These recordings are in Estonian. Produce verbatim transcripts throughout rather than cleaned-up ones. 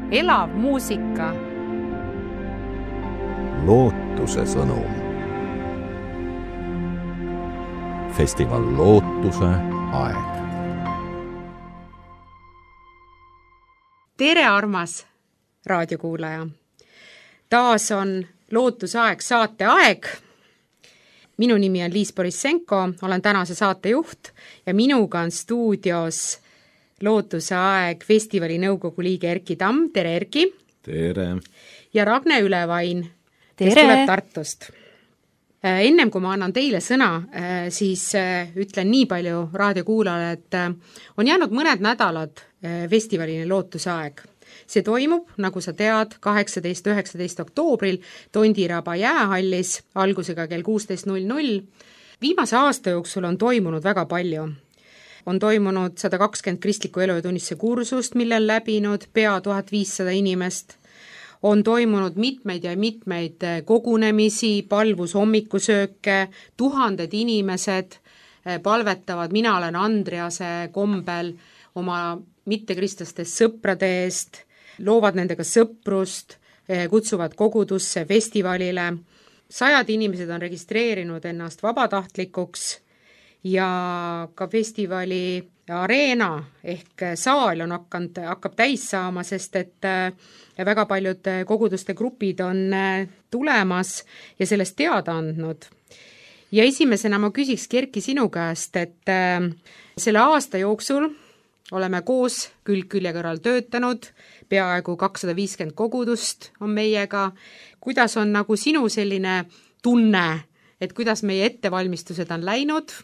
elav muusika. Lootuse sõnum. Festival Lootuse aeg. Tere, armas raadiokuulaja! Taas on Lootuse aeg saate aeg. Minu nimi on Liis Borissenko, olen tänase saate juht ja minuga on stuudios Lootuse aeg festivali nõukogu liige Erki Tamm. Tere, Erki! Tere! Ja Ragne Ülevain, kes Tere. Tuleb Tartust. Ennem kui ma annan teile sõna, siis ütlen nii palju raadiokuulajale, et on jäänud mõned nädalad festivalini Lootuse aeg. See toimub, nagu sa tead, kaheksateist üheksateist oktoobril Tondiraba jäähallis algusega kell kuusteist null null. Viimase aasta jooksul on toimunud väga palju. On toimunud sada kakskümmend kristliku elu ja tunnistuse kursust, mille on läbinud pea tuhat viissada inimest. On toimunud mitmeid ja mitmeid kogunemisi, palvus hommikusööke, tuhanded inimesed palvetavad Mina olen Andrease kombel oma mittekristastest sõprade eest, loovad nendega sõprust, kutsuvad kogudusse, festivalile. Sajad inimesed on registreerinud ennast vabatahtlikuks ja ka festivali areena ehk saal on hakanud, hakkab täis saama, sest et väga paljud koguduste grupid on tulemas ja sellest teada andnud. Ja esimesena ma küsiks, Erki, sinu käest, et selle aasta jooksul oleme koos külg külje kõrval töötanud, peaaegu kakssada viiskümmend kogudust on meiega. Kuidas on nagu sinu selline tunne, et kuidas meie ettevalmistused on läinud?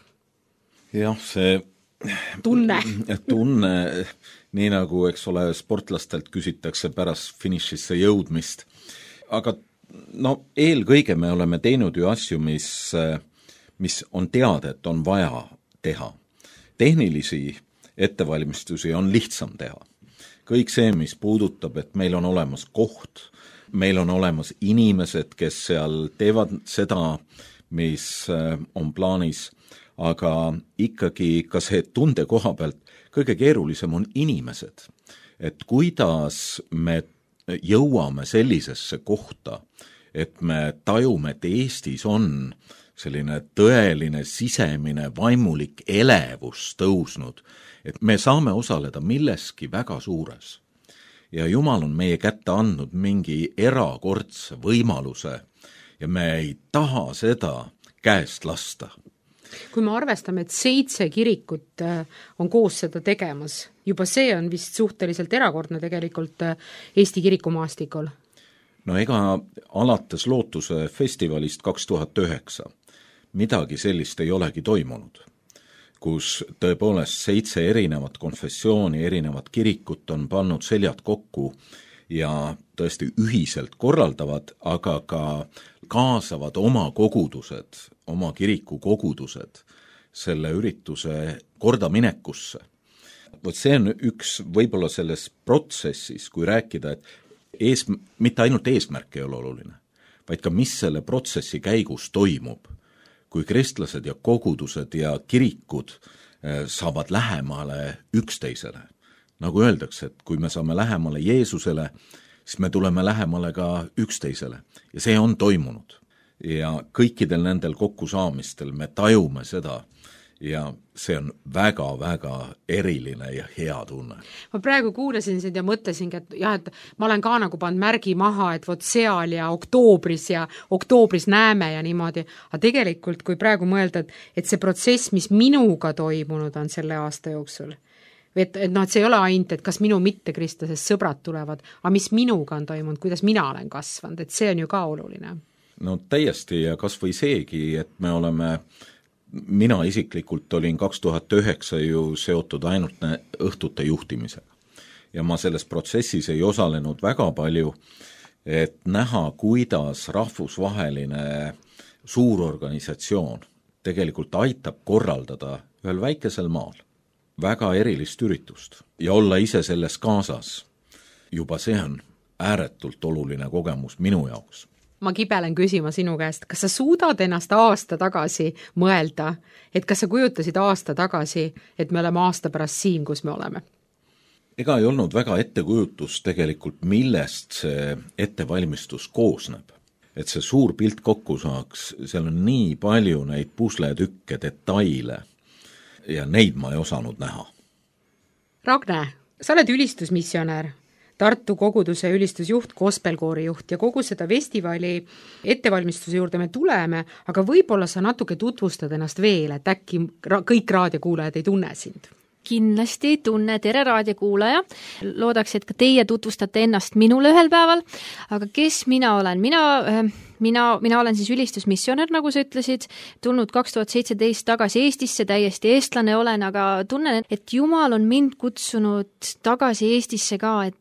Jah, see tunne, tunne nii nagu, eks ole, sportlastelt küsitakse pärast finišisse jõudmist. Aga no eelkõige me oleme teinud ju asju, mis, mis on teada, et on vaja teha. Tehnilisi ettevalmistusi on lihtsam teha. Kõik see, mis puudutab, et meil on olemas koht, meil on olemas inimesed, kes seal teevad seda, mis on plaanis, aga ikkagi ka see tunde koha pealt kõige keerulisem on inimesed. Et kuidas me jõuame sellisesse kohta, et me tajume, et Eestis on selline tõeline sisemine vaimulik elevus tõusnud, et me saame osaleda milleski väga suures. Ja Jumal on meie kätte andnud mingi erakordse võimaluse ja me ei taha seda käest lasta. Kui me arvestame, et seitse kirikut on koos seda tegemas, juba see on vist suhteliselt erakordne tegelikult Eesti kirikumaastikul. No ega alates Lootuse festivalist kaks tuhat üheksa midagi sellist ei olegi toimunud, kus tõepoolest seitse erinevat konfessiooni, erinevat kirikut on pannud seljad kokku ja tõesti ühiselt korraldavad, aga ka kaasavad oma kogudused, oma kiriku kogudused selle ürituse kordaminekusse. Vot see on üks võib-olla selles protsessis, kui rääkida, et ees, mitte ainult eesmärk ei ole oluline, vaid ka mis selle protsessi käigus toimub, kui kristlased ja kogudused ja kirikud saavad lähemale üksteisele. Nagu öeldakse, et kui me saame lähemale Jeesusele, siis me tuleme lähemale ka üksteisele. Ja see on toimunud. Ja kõikidel nendel kokkusaamistel me tajume seda ja see on väga-väga eriline ja hea tunne. Ma praegu kuulasin sind ja mõtlesingi, et jah, et ma olen ka nagu pannud märgi maha, et vot seal ja oktoobris ja oktoobris näeme ja niimoodi. Aga tegelikult, kui praegu mõelda, et, et see protsess, mis minuga toimunud on selle aasta jooksul, et, et, no, et see ei ole ainult, et kas minu mittekristlasest sõbrad tulevad, aga mis minuga on toimunud, kuidas mina olen kasvanud, et see on ju ka oluline. No täiesti ja kas või seegi, et me oleme mina isiklikult olin kaks tuhat üheksa ju seotud ainult õhtute juhtimisega. Ja ma selles protsessis ei osalenud väga palju, et näha, kuidas rahvusvaheline suur organisatsioon tegelikult aitab korraldada ühel väikesel maal väga erilist üritust ja olla ise selles kaasas. Juba see on ääretult oluline kogemus minu jaoks. Ma kibelen küsima sinu käest, kas sa suudad ennast aasta tagasi mõelda, et kas sa kujutasid aasta tagasi, et me oleme aasta pärast siin, kus me oleme? ega ei olnud väga ettekujutus tegelikult, millest see ettevalmistus koosneb. Et see suur pilt kokku saaks, seal on nii palju neid pusletükke, detaile ja neid ma ei osanud näha. Ragne, sa oled ülistusmissionär, Tartu koguduse ülistusjuht, gospelkoori juht ja kogu seda festivali ettevalmistuse juurde me tuleme, aga võib-olla sa natuke tutvustad ennast veel, et äkki kõik raadiokuulajad ei tunne sind? Kindlasti tunne, tere raadiokuulaja. Loodaks, et ka teie tutvustate ennast minule ühel päeval, aga kes mina olen? Mina, mina, mina olen siis ülistusmissionär, nagu sa ütlesid, tulnud kaks tuhat seitseteist tagasi Eestisse, täiesti eestlane olen, aga tunnen, et Jumal on mind kutsunud tagasi Eestisse ka, et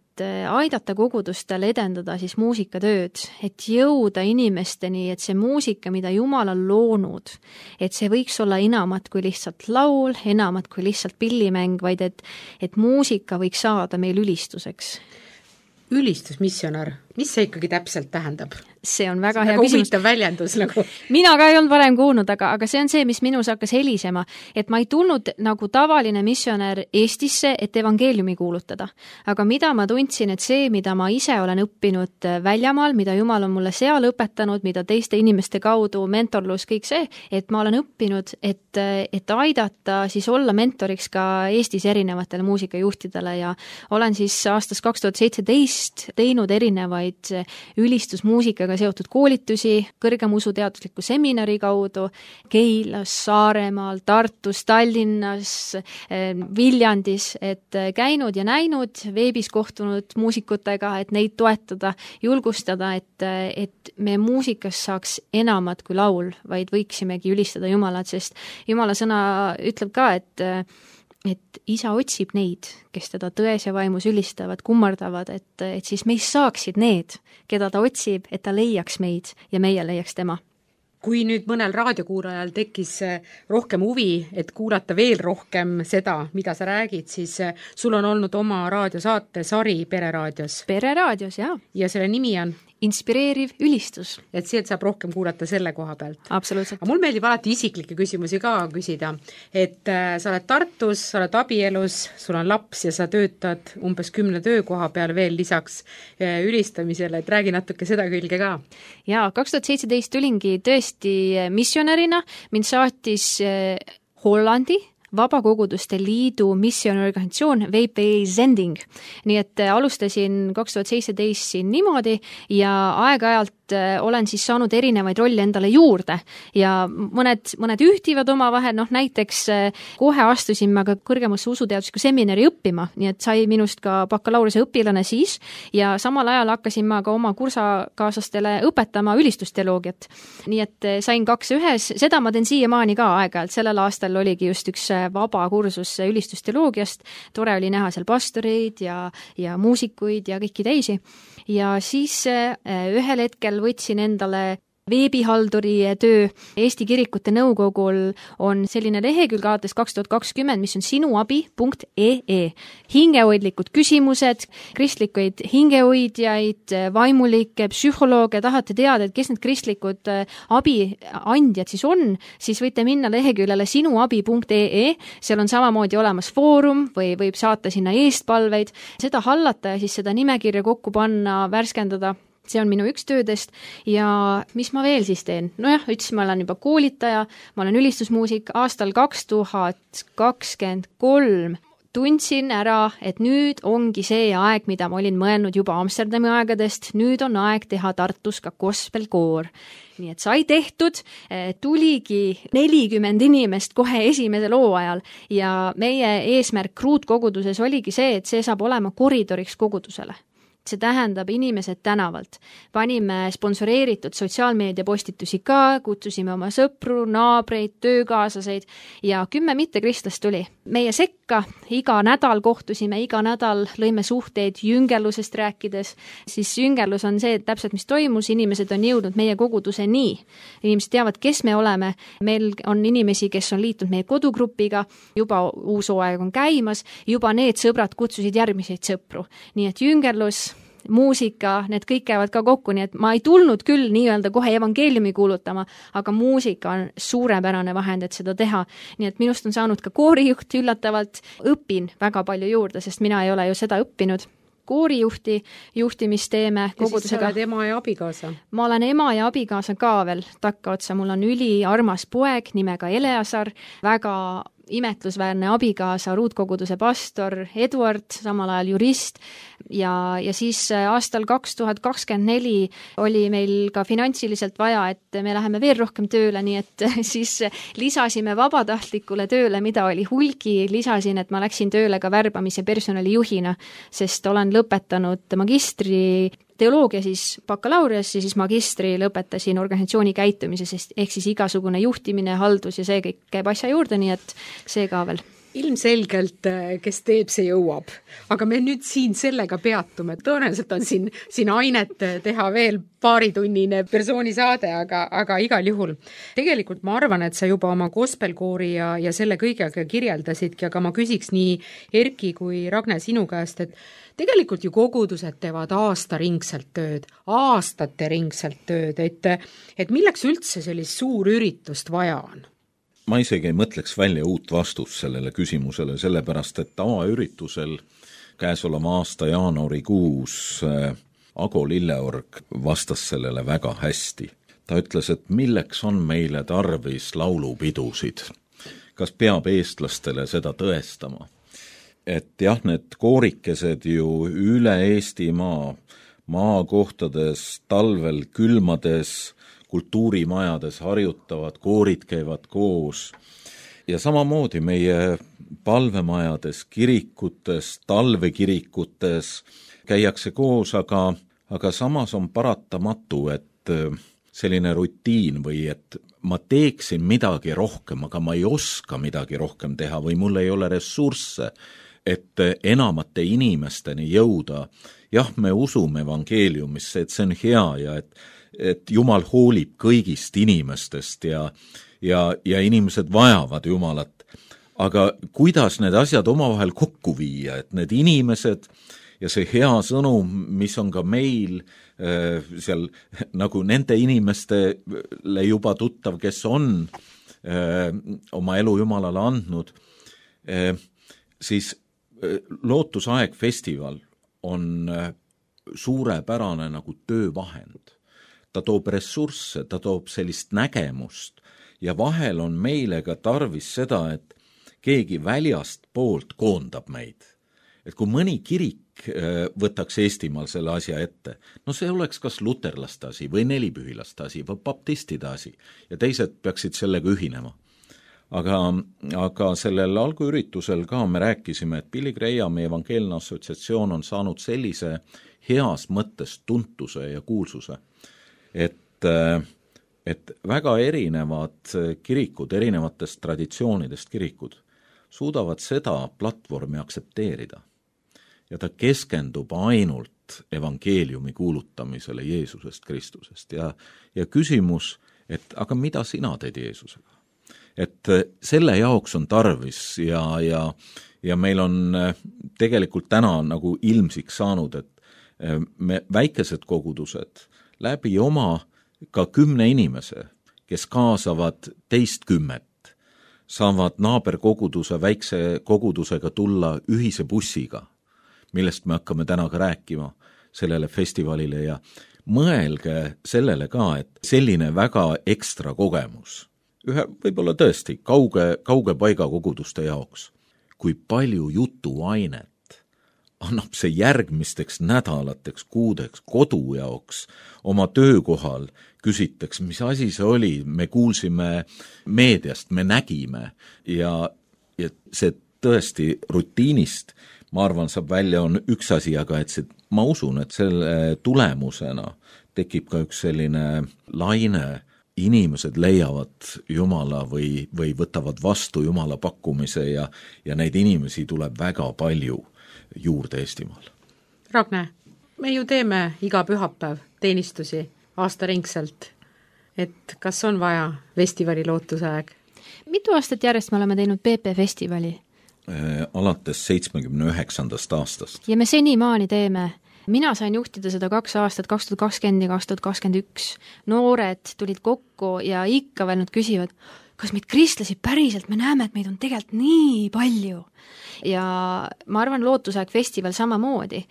aidata kogudustel edendada siis muusikatööd, et jõuda inimesteni, et see muusika, mida Jumal on loonud, et see võiks olla enamat kui lihtsalt laul, enamat kui lihtsalt pillimäng, vaid et, et muusika võiks saada meil ülistuseks. Ülistusmissionär, mis see ikkagi täpselt tähendab? See on väga see hea väga küsimus. Huvitav väljendus nagu. Mina ka ei olnud varem kuulnud, aga, aga see on see, mis minus hakkas helisema, et ma ei tulnud nagu tavaline missionär Eestisse, et evangeeliumi kuulutada. Aga mida ma tundsin, et see, mida ma ise olen õppinud väljamaal, mida Jumal on mulle seal õpetanud, mida teiste inimeste kaudu, mentorlus, kõik see, et ma olen õppinud, et, et aidata siis olla mentoriks ka Eestis erinevatele muusikajuhtidele ja olen siis aastast kaks tuhat seitseteist teinud erinevaid ülistusmuusikaga seotud koolitusi kõrgemuusuteadusliku seminari kaudu Keilas, Saaremaal, Tartus, Tallinnas, Viljandis, et käinud ja näinud, veebis kohtunud muusikutega, et neid toetada, julgustada, et, et me muusikas saaks enamat kui laul, vaid võiksimegi ülistada Jumalat, sest Jumala sõna ütleb ka, et et isa otsib neid, kes teda tões ja vaimus ülistavad, kummardavad, et, et siis meist saaksid need, keda ta otsib, et ta leiaks meid ja meie leiaks tema. Kui nüüd mõnel raadiokuulajal tekkis rohkem huvi, et kuulata veel rohkem seda, mida sa räägid, siis sul on olnud oma raadiosaate sari Pereraadios. Pereraadios, jah. Ja selle nimi on? Inspireeriv ülistus. Et sealt saab rohkem kuulata selle koha pealt. Absoluutselt. Aga mul meeldib alati isiklikke küsimusi ka küsida, et äh, sa oled Tartus, sa oled abielus, sul on laps ja sa töötad umbes kümne töökoha peal veel lisaks äh, ülistamisele, et räägi natuke seda külge ka. Jaa, kaks tuhat seitseteist tulingi tõesti missionärina, mind saatis äh, Hollandi Vabakoguduste Liidu missiooniorganisatsioon V P Zending. Nii et alustasin kaks tuhat seitseteist siin niimoodi ja aeg-ajalt olen siis saanud erinevaid rolle endale juurde ja mõned, mõned ühtivad oma vahel, noh näiteks kohe astusin ma ka kõrgemasse usuteadusliku seminari õppima, nii et sai minust ka bakalaureuse õpilane siis ja samal ajal hakkasin ma ka oma kursakaaslastele õpetama ülistusteoloogiat. Nii et sain kaks ühes, seda ma teen siiamaani ka aeg-ajalt, sellel aastal oligi just üks vaba kursus ülistusteoloogiast, tore oli näha seal pastoreid ja, ja muusikuid ja kõiki teisi. Ja siis ühel hetkel võtsin endale veebihalduri töö. Eesti Kirikute Nõukogul on selline lehekülg alates kaks tuhat kakskümmend, mis on sinuabi punkt ee ee. Hingehoidlikud küsimused, kristlikuid hingehoidjaid, vaimulikke, psühholooge, tahate teada, et kes need kristlikud abiandjad siis on, siis võite minna leheküljele sinuabi punkt ee ee. Seal on samamoodi olemas foorum või võib saata sinna eestpalveid, seda hallata ja siis seda nimekirja kokku panna, värskendada. See on minu üks töödest ja mis ma veel siis teen? Nojah, ütlesin, ma olen juba koolitaja, ma olen ülistusmuusik, aastal kaks tuhat kakskümmend kolm tundsin ära, et nüüd ongi see aeg, mida ma olin mõelnud juba Amsterdami aegadest, nüüd on aeg teha Tartus ka gospelkoor. Nii et sai tehtud, tuligi nelikümmend inimest kohe esimese loo ajal ja meie eesmärk ruutkoguduses oligi see, et see saab olema koridoriks kogudusele. See tähendab inimesed tänavalt. Panime sponsoreeritud sotsiaalmeedia postitusi ka, kutsusime oma sõpru, naabreid, töökaaslaseid ja kümme mittekristlast tuli. Meie sekka iga nädal kohtusime, iga nädal lõime suhteid jüngerlusest rääkides. Siis jüngerlus on see, et täpselt mis toimus, inimesed on jõudnud meie koguduse nii. Inimesed teavad, kes me oleme. Meil on inimesi, kes on liitunud meie kodugrupiga, juba uus hooaeg on käimas, juba need sõbrad kutsusid järgmiseid sõpru. Nii et jüngerlus muusika, need kõik käivad ka kokku, nii et ma ei tulnud küll nii-öelda kohe evangeeliumi kuulutama, aga muusika on suurepärane vahend, et seda teha. Nii et minust on saanud ka koorijuht üllatavalt, õpin väga palju juurde, sest mina ei ole ju seda õppinud. Koorijuhti, juhtimisteeme kogudusega. Ja siis sa oled ema ja abikaasa? Ma olen ema ja abikaasa ka veel takkaotsa. Mul on üli armas poeg nimega Eleasar, väga imetlusväärne abikaasa, ruutkoguduse pastor Eduard, samal ajal jurist ja, ja siis aastal kaks tuhat kakskümmend neli oli meil ka finantsiliselt vaja, et me läheme veel rohkem tööle, nii et siis lisasime vabatahtlikule tööle, mida oli hulgi, lisasin, et ma läksin tööle ka värbamise personalijuhina, sest olen lõpetanud magistri teoloogia siis bakalaureus ja siis magistri lõpetasin organisatsiooni käitumises, ehk siis igasugune juhtimine, haldus ja see kõik käib asja juurde, nii et see ka veel. Ilmselgelt, kes teeb, see jõuab. Aga me nüüd siin sellega peatume. Tõenäoliselt on siin, siin ainet teha veel paaritunnine persoonisaade, aga, aga igal juhul. Tegelikult ma arvan, et sa juba oma gospelkoori ja, ja selle kõigega kirjeldasidki, aga ma küsiks nii Erki kui Ragne sinu käest, et tegelikult ju kogudused teevad aastaringselt tööd, aastate ringselt tööd, et, et milleks üldse sellist suur üritust vaja on? Ma isegi ei mõtleks välja uut vastust sellele küsimusele, sellepärast, et tavaüritusel käesoleva aasta jaanuarikuus Ago Lilleorg vastas sellele väga hästi. Ta ütles, et milleks on meile tarvis laulupidusid? Kas peab eestlastele seda tõestama? Et jah, need koorikesed ju üle Eestimaa, maakohtades, talvel, külmades, kultuurimajades harjutavad, koorid käivad koos ja samamoodi meie palvemajades, kirikutes, talvekirikutes käiakse koos, aga, aga samas on paratamatu, et selline rutiin või et ma teeksin midagi rohkem, aga ma ei oska midagi rohkem teha või mul ei ole ressursse, et enamate inimesteni jõuda. Jah, me usume evangeeliumisse, et see on hea ja et et Jumal hoolib kõigist inimestest ja, ja, ja inimesed vajavad Jumalat. Aga kuidas need asjad omavahel kokku viia, et need inimesed ja see hea sõnum, mis on ka meil äh, seal nagu nende inimestele juba tuttav, kes on äh, oma elu Jumalale andnud, äh, siis äh, Lootusaeg festival on äh, suurepärane nagu töövahend. Ta toob ressursse, ta toob sellist nägemust ja vahel on meile ka tarvis seda, et keegi väljast poolt koondab meid. Et kui mõni kirik võtaks Eestimaal selle asja ette, no see oleks kas luterlaste asi või nelipühilaste asi või baptistide asi ja teised peaksid sellega ühinema. Aga, aga sellel alguüritusel ka me rääkisime, et Billy Grahami evangeelne assotsiatsioon on saanud sellise heas mõttes tuntuse ja kuulsuse, et, et väga erinevad kirikud, erinevatest traditsioonidest kirikud suudavad seda platvormi aktsepteerida. Ja ta keskendub ainult evangeeliumi kuulutamisele Jeesusest Kristusest. Ja, ja küsimus, et aga mida sina teed Jeesusega? Et selle jaoks on tarvis ja, ja, ja meil on tegelikult täna nagu ilmsiks saanud, et me väikesed kogudused läbi oma ka kümne inimese, kes kaasavad teist kümmet, saavad naaberkoguduse väikse kogudusega tulla ühise bussiga, millest me hakkame täna ka rääkima sellele festivalile ja mõelge sellele ka, et selline väga ekstra kogemus, ühe võib-olla tõesti kauge, kauge paiga koguduste jaoks, kui palju jutuainet annab see järgmisteks nädalateks, kuudeks, kodu jaoks, oma töökohal küsiteks, mis asi see oli, me kuulsime meediast, me nägime ja, ja see tõesti rutiinist, ma arvan, saab välja on üks asi, aga et see, ma usun, et selle tulemusena tekib ka üks selline laine, inimesed leiavad Jumala või, või võtavad vastu Jumala pakkumise ja, ja neid inimesi tuleb väga palju juurde Eestimaal. Ragne, me ju teeme iga pühapäev teenistusi aastaringselt, et kas on vaja festivali Lootusaeg? Mitu aastat järjest me oleme teinud P P festivali? Alates seitsmekümne üheksandast aastast. Ja me senimaani teeme mina sain juhtida seda kaks aastat, kaks tuhat kakskümmend ja kaks tuhat kakskümmend üks. Noored tulid kokku ja ikka veel nad küsivad, kas meid kristlasi päriselt, me näeme, et meid on tegelikult nii palju. Ja ma arvan, Lootusaeg festival samamoodi.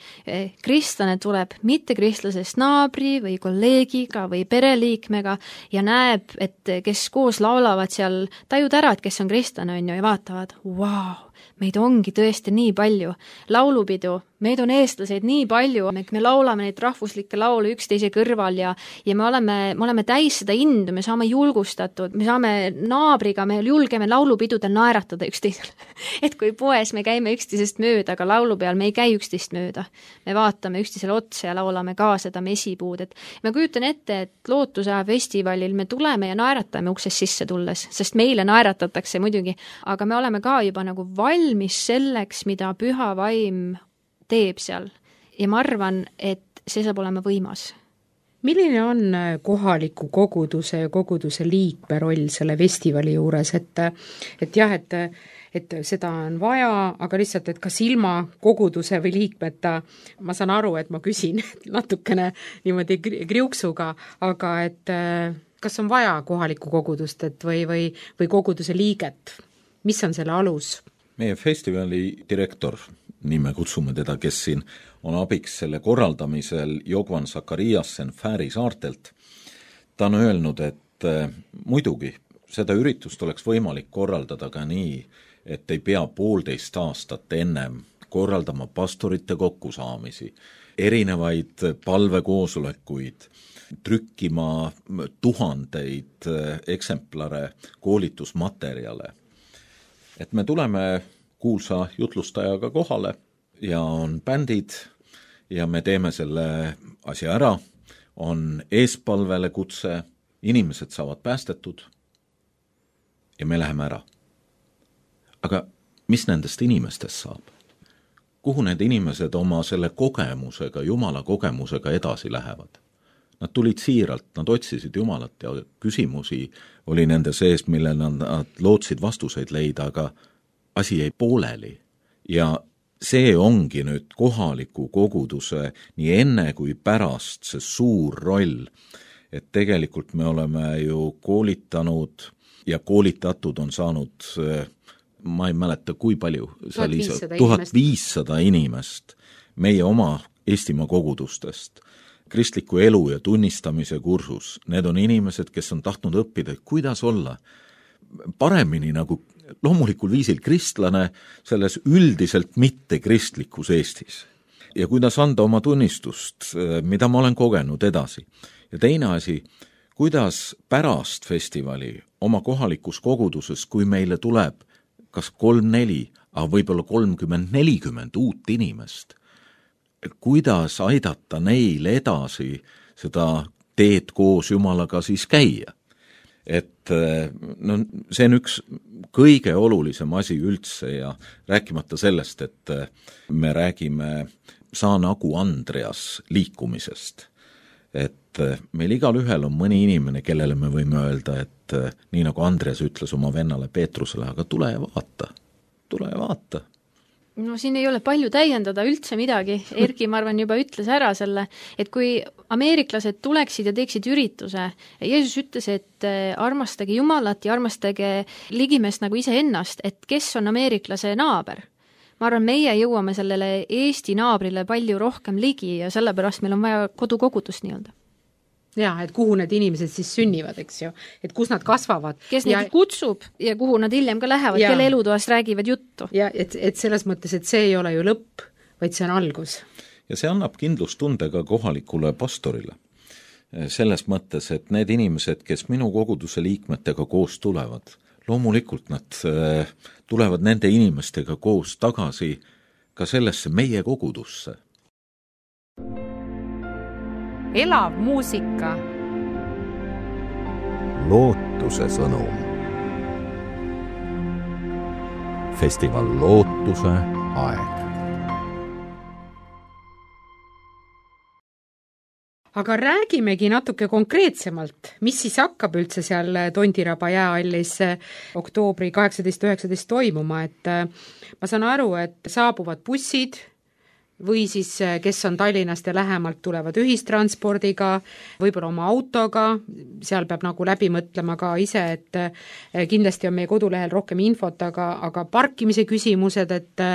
Kristlane tuleb mitte kristlasest naabri või kolleegiga või pereliikmega ja näeb, et kes koos laulavad seal, tajud ära, et kes on kristlane, on ju, ja vaatavad, wow, meid ongi tõesti nii palju. Laulupidu, meid on eestlaseid nii palju, me, me laulame neid rahvuslikke laule üksteise kõrval ja, ja me oleme, me oleme täis seda indu, me saame julgustatud, me saame naabriga, me julgeme laulupidudel naeratada üksteisele. Et kui poes me käime üksteisest mööda, aga laulu peal me ei käi üksteist mööda. Me vaatame üksteisele otsa ja laulame ka seda mesipuud. Et ma kujutan ette, et Lootusaeg festivalil me tuleme ja naeratame uksest sisse tulles, sest meile naeratatakse muidugi, aga me oleme ka juba nagu valmis selleks, mida püha vaim teeb seal. Ja ma arvan, et see saab olema võimas. Milline on kohaliku koguduse ja koguduse liikme roll selle festivali juures, et, et jah, et, et seda on vaja, aga lihtsalt, et kas ilma koguduse või liikmeta, ma saan aru, et ma küsin natukene niimoodi kriuksuga, aga et kas on vaja kohalikku kogudust et või, või, või koguduse liiget? Mis on selle alus? Meie festivali direktor, nii me kutsume teda, kes siin on abiks selle korraldamisel, Jogvan Sakariasen Fääri saartelt. Ta on öelnud, et äh, muidugi seda üritust oleks võimalik korraldada ka nii, et ei pea poolteist aastat ennem korraldama pastorite kokkusaamisi, erinevaid palvekoosolekuid, trükkima tuhandeid eksemplare koolitusmaterjale. Et me tuleme kuulsa jutlustajaga kohale ja on bändid ja me teeme selle asja ära, on eespalvele kutse, inimesed saavad päästetud ja me läheme ära. Aga mis nendest inimestest saab? Kuhu need inimesed oma selle kogemusega, Jumala kogemusega edasi lähevad? Nad tulid siiralt, nad otsisid Jumalat ja küsimusi oli nende sees, mille nad, nad lootsid vastuseid leida, aga asi jäi pooleli. Ja see ongi nüüd kohaliku koguduse nii enne kui pärast see suur roll, et tegelikult me oleme ju koolitanud ja koolitatud on saanud, ma ei mäleta kui palju, tuhat viissada inimest meie oma Eestimaa kogudustest, kristliku elu ja tunnistamise kursus. Need on inimesed, kes on tahtnud õppida, kuidas olla paremini nagu loomulikul viisil kristlane selles üldiselt mitte kristlikus Eestis. Ja kuidas anda oma tunnistust, mida ma olen kogenud edasi. Ja teine asi, kuidas pärast festivali oma kohalikus koguduses, kui meile tuleb kas kolm-neli, aga võib-olla kolmkümmend nelikümmend uut inimest, kuidas aidata neil edasi seda teed koos Jumalaga siis käia. Et no, see on üks kõige olulisem asi üldse ja rääkimata sellest, et me räägime Saa nagu Andreas liikumisest. Et meil igal ühel on mõni inimene, kellele me võime öelda, et nii nagu Andreas ütles oma vennale Peetrusele, aga tule ja vaata, tule ja vaata. No siin ei ole palju täiendada üldse midagi. Erki, ma arvan, juba ütles ära selle, et kui ameeriklased tuleksid ja teeksid ürituse, Jeesus ütles, et armastage Jumalat ja armastage ligimeest nagu ise ennast, et kes on ameeriklase naaber. Ma arvan, meie jõuame sellele Eesti naabrile palju rohkem ligi ja sellepärast meil on vaja kodukogudust nii-öelda. Jaa, et kuhu need inimesed siis sünnivad, eks ju, et kus nad kasvavad. Kes neid ja, kutsub ja kuhu nad hiljem ka lähevad, ja, kelle elutoast räägivad juttu. Ja et, et selles mõttes, et see ei ole ju lõpp, vaid see on algus. Ja see annab kindlustunde ka kohalikule pastorile. Selles mõttes, et need inimesed, kes minu koguduse liikmetega koos tulevad, loomulikult nad tulevad nende inimestega koos tagasi ka sellesse meie kogudusse. Elav muusika. Lootuse sõnum. Festival Lootuse aeg. Aga räägimegi natuke konkreetsemalt, mis siis hakkab üldse seal Tondiraba jäähallis oktoobri kaheksateist üheksateist toimuma, et ma saan aru, et saabuvad bussid, või siis kes on Tallinnast ja lähemalt, tulevad ühistranspordiga, võib-olla oma autoga, seal peab nagu läbi mõtlema ka ise, et kindlasti on meie kodulehel rohkem infot, aga, aga parkimise küsimused, et,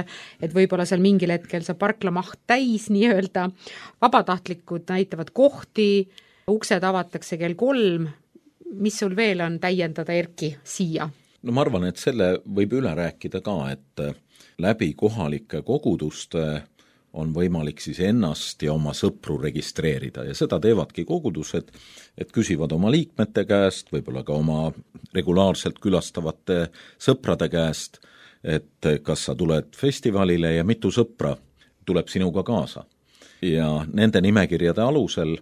et võib-olla seal mingil hetkel saab parklamaht täis nii-öelda, vabatahtlikud näitavad kohti, uksed avatakse kell kolm, mis sul veel on täiendada, Erki, siia? No ma arvan, et selle võib üle rääkida ka, et läbi kohalike koguduste on võimalik siis ennast ja oma sõpru registreerida ja seda teevadki kogudused, et küsivad oma liikmete käest, võib-olla ka oma regulaarselt külastavate sõprade käest, et kas sa tuled festivalile ja mitu sõpra tuleb sinuga kaasa. Ja nende nimekirjade alusel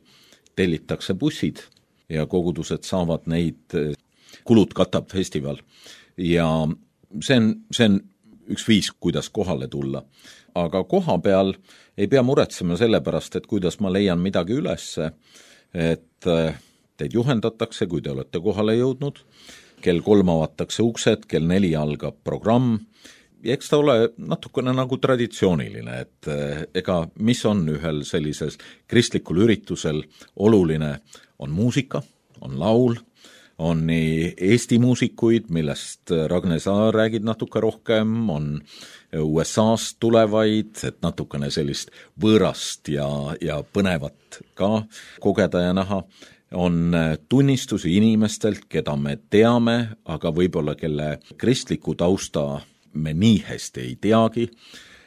tellitakse bussid ja kogudused saavad neid, kulud katab festival ja see on, see on üks viis, kuidas kohale tulla. Aga koha peal ei pea muretsema selle pärast, et kuidas ma leian midagi ülesse, et teid juhendatakse, kui te olete kohale jõudnud, kell kolm avatakse uksed, kell neli algab programm, ja eks ta ole natukene nagu traditsiooniline, et ega mis on ühel sellises kristlikul üritusel oluline, on muusika, on laul, on nii Eesti muusikuid, millest Ragne, sa räägid natuke rohkem, on U S A-st tulevaid, et natukene sellist võõrast ja, ja põnevat ka kogeda ja näha, on tunnistusi inimestelt, keda me teame, aga võib-olla kelle kristliku tausta me nii hästi ei teagi,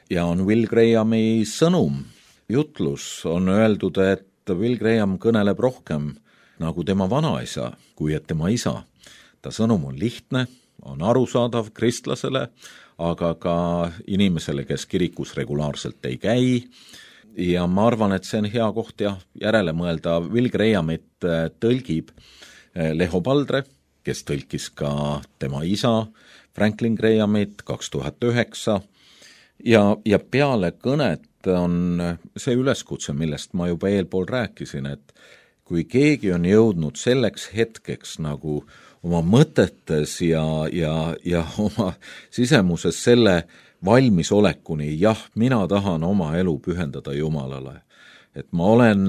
ja on Will Grahami sõnum, jutlus, on öeldud, et Will Graham kõneleb rohkem nagu tema vanaisa, kui et tema isa. Ta sõnum on lihtne, on arusaadav kristlasele, aga ka inimesele, kes kirikus regulaarselt ei käi. Ja ma arvan, et see on hea koht ja järele mõelda. Will Grahamit tõlgib Leho Paldre, kes tõlkis ka tema isa Franklin Grahamit kaks tuhat üheksa. Ja, ja peale kõnet on see üleskutse, millest ma juba eelpool rääkisin, et kui keegi on jõudnud selleks hetkeks nagu oma mõtetes ja, ja, ja oma sisemuses selle valmisolekuni, jah, mina tahan oma elu pühendada Jumalale. Et ma olen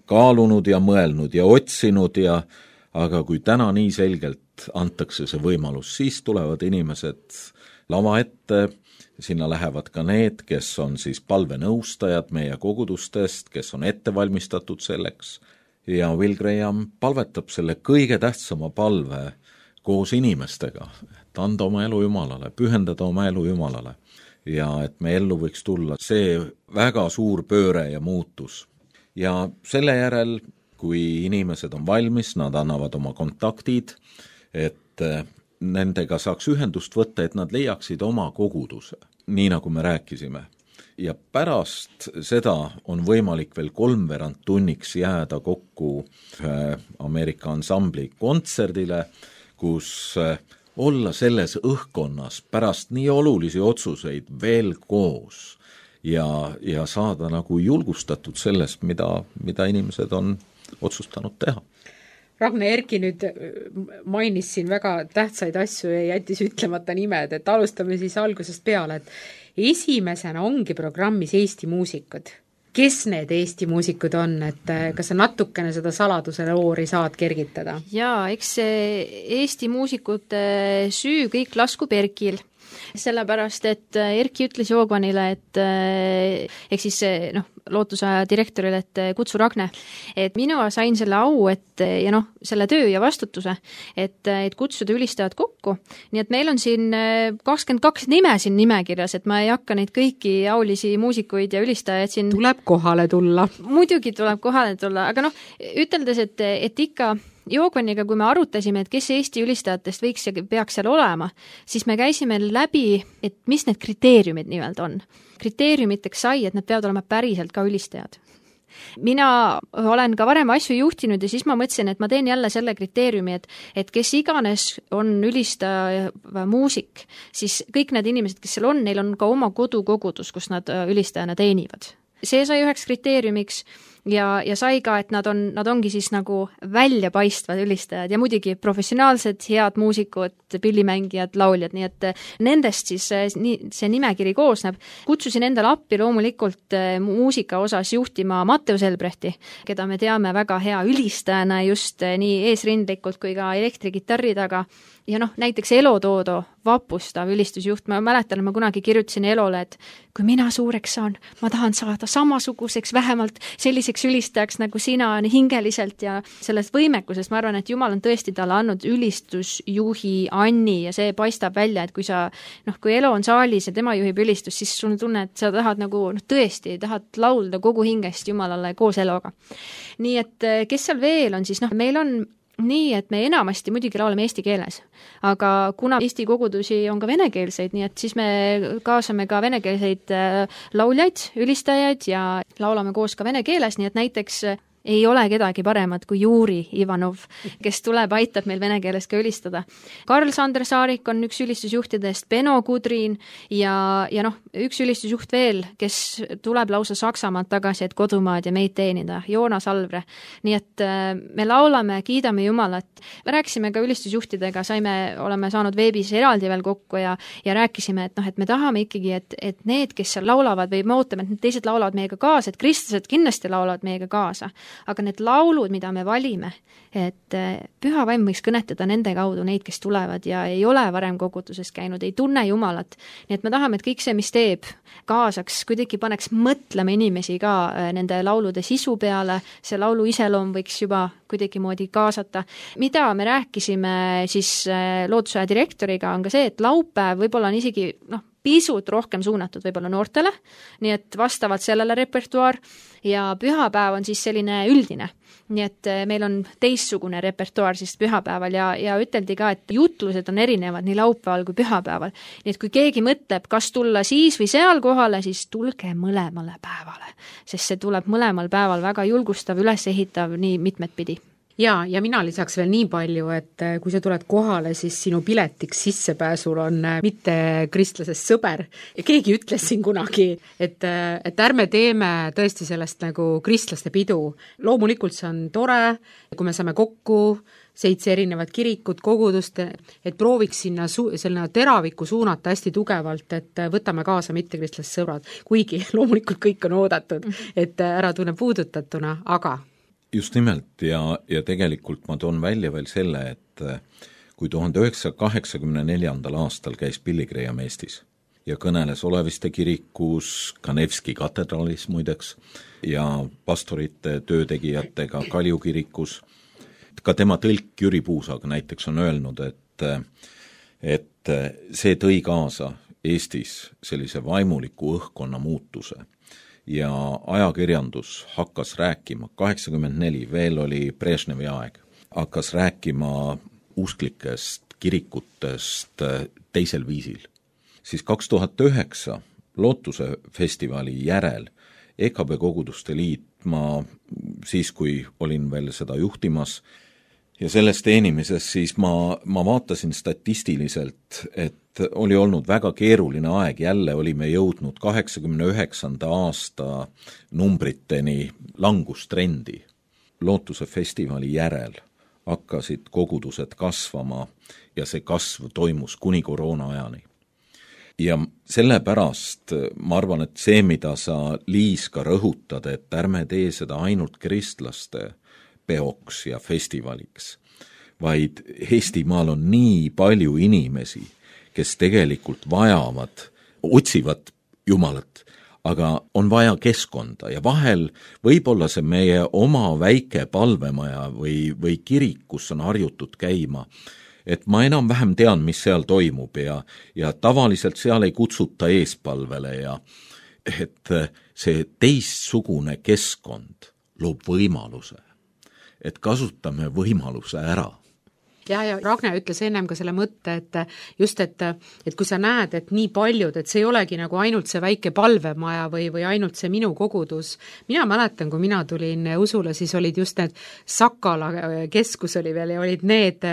kaalunud ja mõelnud ja otsinud, ja, aga kui täna nii selgelt antakse see võimalus, siis tulevad inimesed lava ette, sinna lähevad ka need, kes on siis palvenõustajad meie kogudustest, kes on ette valmistatud selleks, ja Will Graham palvetab selle kõige tähtsama palve koos inimestega, et anda oma elu Jumalale, pühendada oma elu Jumalale ja et me ellu võiks tulla see väga suur pööre ja muutus. Ja selle järel, kui inimesed on valmis, nad annavad oma kontaktid, et nendega saaks ühendust võtta, et nad leiaksid oma koguduse, nii nagu me rääkisime. Ja pärast seda on võimalik veel kolmveerand tunniks jääda kokku Ameerika ansambli kontserdile, kus olla selles õhkkonnas pärast nii olulisi otsuseid veel koos ja, ja saada nagu julgustatud sellest, mida, mida inimesed on otsustanud teha. Ragne, Erki nüüd mainis siin väga tähtsaid asju ja jättis ütlemata nimed, et alustame siis algusest peale, et esimesena ongi programmis Eesti muusikud. Kes need Eesti muusikud on, et kas sa natukene seda saladusele oori saad kergitada? Jaa, eks Eesti muusikute süü kõik laskub Erkil. Sellepärast, et Erki ütles Joogvanile, et ehk siis noh, lootusaja direktorile, et kutsu Ragne, et minu sain selle au, et ja noh, selle töö ja vastutuse, et, et kutsuda ülistajad kokku. Nii et meil on siin kakskümmend kaks nime siin nimekirjas, et ma ei hakka neid kõiki aulisi muusikuid ja ülistajaid siin... Tuleb kohale tulla. Muidugi tuleb kohale tulla, aga noh, üteldes, et, et ikka Joogvaniga, kui me arutasime, et kes Eesti ülistajatest võiks ja peaks seal olema, siis me käisime läbi, et mis need kriteeriumid nimelt on. Kriteeriumiteks sai, et nad peavad olema päriselt ka ülistajad. Mina olen ka varem asju juhtinud ja siis ma mõtlesin, et ma teen jälle selle kriteeriumi, et, et kes iganes on ülistaja muusik, siis kõik need inimesed, kes seal on, neil on ka oma kodukogudus, kus nad ülistajana teenivad. See sai üheks kriteeriumiks ja, ja sai ka, et nad on, nad ongi siis nagu väljapaistvad ülistajad ja muidugi professionaalsed, head muusikud, pillimängijad, lauljad, nii et nendest siis nii, see nimekiri koosneb. Kutsusin endale appi loomulikult muusika osas juhtima Matteus Elbrechti, keda me teame väga hea ülistajana just nii eesrindlikult kui ka elektrigitarri taga. Ja noh, näiteks Elo Toodo, vapustav ülistusjuht, ma mäletan, ma kunagi kirjutasin Elole, et kui mina suureks saan, ma tahan saada samasuguseks, vähemalt selliseks ülistajaks nagu sina hingeliselt ja sellest võimekusest, ma arvan, et Jumal on tõesti talle andnud ülistusjuhi Anni ja see paistab välja, et kui sa, noh, kui Elo on saalis ja tema juhib ülistust, siis sul on tunne, et sa tahad nagu, noh, tõesti, tahad laulda kogu hingest Jumalale koos Eloga. Nii et kes seal veel on, siis noh, meil on nii, et me enamasti muidugi laulame eesti keeles, aga kuna Eesti kogudusi on ka venekeelseid, nii et siis me kaasame ka venekeelseid lauljaid, ülistajaid ja laulame koos ka vene keeles, nii et näiteks ei ole kedagi paremat kui Juri Ivanov, kes tuleb, aitab meil vene keeles ka ülistada. Karl-Sander Saarik on üks ülistusjuhtidest, Beno Kudrin ja, ja noh, üks ülistusjuht veel, kes tuleb lausa Saksamaalt tagasi, et kodumaad ja meid teenida, Joonas Alvre. Nii et me laulame, kiidame Jumalat. Me rääkisime ka ülistusjuhtidega, saime, oleme saanud veebis eraldi veel kokku ja, ja rääkisime, et noh, et me tahame ikkagi, et, et need, kes seal laulavad või me ootame, et teised laulavad meiega kaasa, et kristlased kindlasti laulavad meiega kaasa. Aga need laulud, mida me valime, et Püha Vaim võiks kõnetada nende kaudu neid, kes tulevad ja ei ole varem koguduses käinud, ei tunne Jumalat. Nii et me tahame, et kõik see, mis teeb, kaasaks, kuidagi paneks mõtlema inimesi ka nende laulude sisu peale, see laulu iseloom võiks juba kuidagi moodi kaasata. Mida me rääkisime siis loodusaja direktoriga, on ka see, et laupäev võib-olla on isegi, noh, pisut rohkem suunatud võib-olla noortele, nii et vastavalt sellele repertuaar ja pühapäev on siis selline üldine. Nii et meil on teistsugune repertuaar siis pühapäeval ja, ja üteldi ka, et jutlused on erinevad nii laupäeval kui pühapäeval. Nii et kui keegi mõtleb, kas tulla siis või seal kohale, siis tulge mõlemale päevale, sest see tuleb mõlemal päeval väga julgustav, üles ehitav nii mitmed pidi. Ja, ja mina lisaks veel nii palju, et kui sa tuled kohale, siis sinu piletiks sissepääsul on mitte kristlasest sõber. Ja keegi ütles siin kunagi, et, et ärme teeme tõesti sellest nagu kristlaste pidu. Loomulikult see on tore, kui me saame kokku, seitse erinevat kirikut, kogudust, et prooviks sinna su- selline teraviku suunata hästi tugevalt, et võtame kaasa mitte kristlased sõbrad. Kuigi loomulikult kõik on oodatud, et ära tunne puudutatuna, aga just nimelt ja, ja tegelikult ma toon välja veel selle, et kui tuhande üheksasaja kaheksakümne neljandal aastal käis Billy Graham Eestis ja kõneles Oleviste kirikus, Kanevski katedraalis muideks ja pastorite töötegijatega Kalju kirikus, ka tema tõlk Jüri Puusaga näiteks on öelnud, et, et see tõi kaasa Eestis sellise vaimuliku õhkkonna muutuse. Ja ajakirjandus hakkas rääkima, kaheksakümmend neli, veel oli Brežnevi aeg, hakkas rääkima usklikest kirikutest teisel viisil. Siis kaks tuhat üheksa Lootuse festivali järel E K B Koguduste Liit, ma siis, kui olin veel seda juhtimas ja selles teenimises, siis ma, ma vaatasin statistiliselt, et oli olnud väga keeruline aeg, jälle olime jõudnud kaheksakümne üheksanda aasta numbriteni langustrendi. Lootuse festivali järel hakkasid kogudused kasvama ja see kasv toimus kuni koroona ajani. Ja sellepärast ma arvan, et see, mida sa, Liis, ka rõhutad, et ärme tee seda ainult kristlaste peoks ja festivaliks, vaid Eestimaal on nii palju inimesi, kes tegelikult vajavad, otsivad Jumalat, aga on vaja keskkonda ja vahel võib-olla see meie oma väike palvemaja või, või kirik, kus on harjutud käima, et ma enam-vähem tean, mis seal toimub ja, ja tavaliselt seal ei kutsuta eespalvele ja et see teistsugune keskkond loob võimaluse, et kasutame võimaluse ära. ja, ja Ragne ütles ennem ka selle mõtte, et just, et, et kui sa näed, et nii paljud, et see ei olegi nagu ainult see väike palvemaja või, või ainult see minu kogudus. Mina mäletan, kui mina tulin usule, siis olid just need Sakala keskus oli veel ja olid need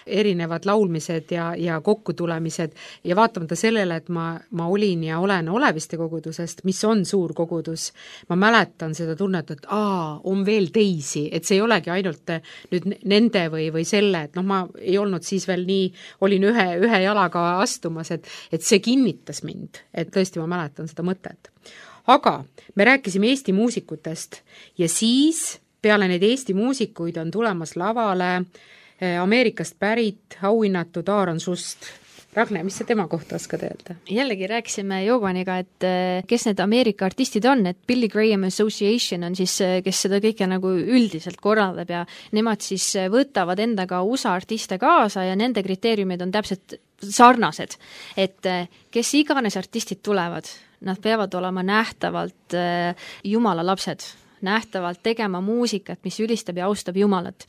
erinevad laulmised ja, ja kokkutulemised ja vaatamata sellele, et ma, ma olin ja olen Oleviste kogudusest, mis on suur kogudus, ma mäletan seda tunnet, et aa, on veel teisi, et see ei olegi ainult nüüd nende või, või selle, et noh, ma ei olnud siis veel nii, olin ühe, ühe jalaga astumas, et, et see kinnitas mind, et tõesti ma mäletan seda mõtet. Aga me rääkisime Eesti muusikutest ja siis peale neid Eesti muusikuid on tulemas lavale Ameerikast pärit auhinnatud Aaron Sust. Ragne, mis sa tema kohta oskad öelda? Jällegi rääkisime Jovaniga, et kes need Ameerika artistid on, et Billy Graham Association on siis, kes seda kõike nagu üldiselt korraldab ja nemad siis võtavad endaga U S A artiste kaasa ja nende kriteeriumid on täpselt sarnased, et kes iganes artistid tulevad, nad peavad olema nähtavalt Jumala lapsed, nähtavalt tegema muusikat, mis ülistab ja austab Jumalat.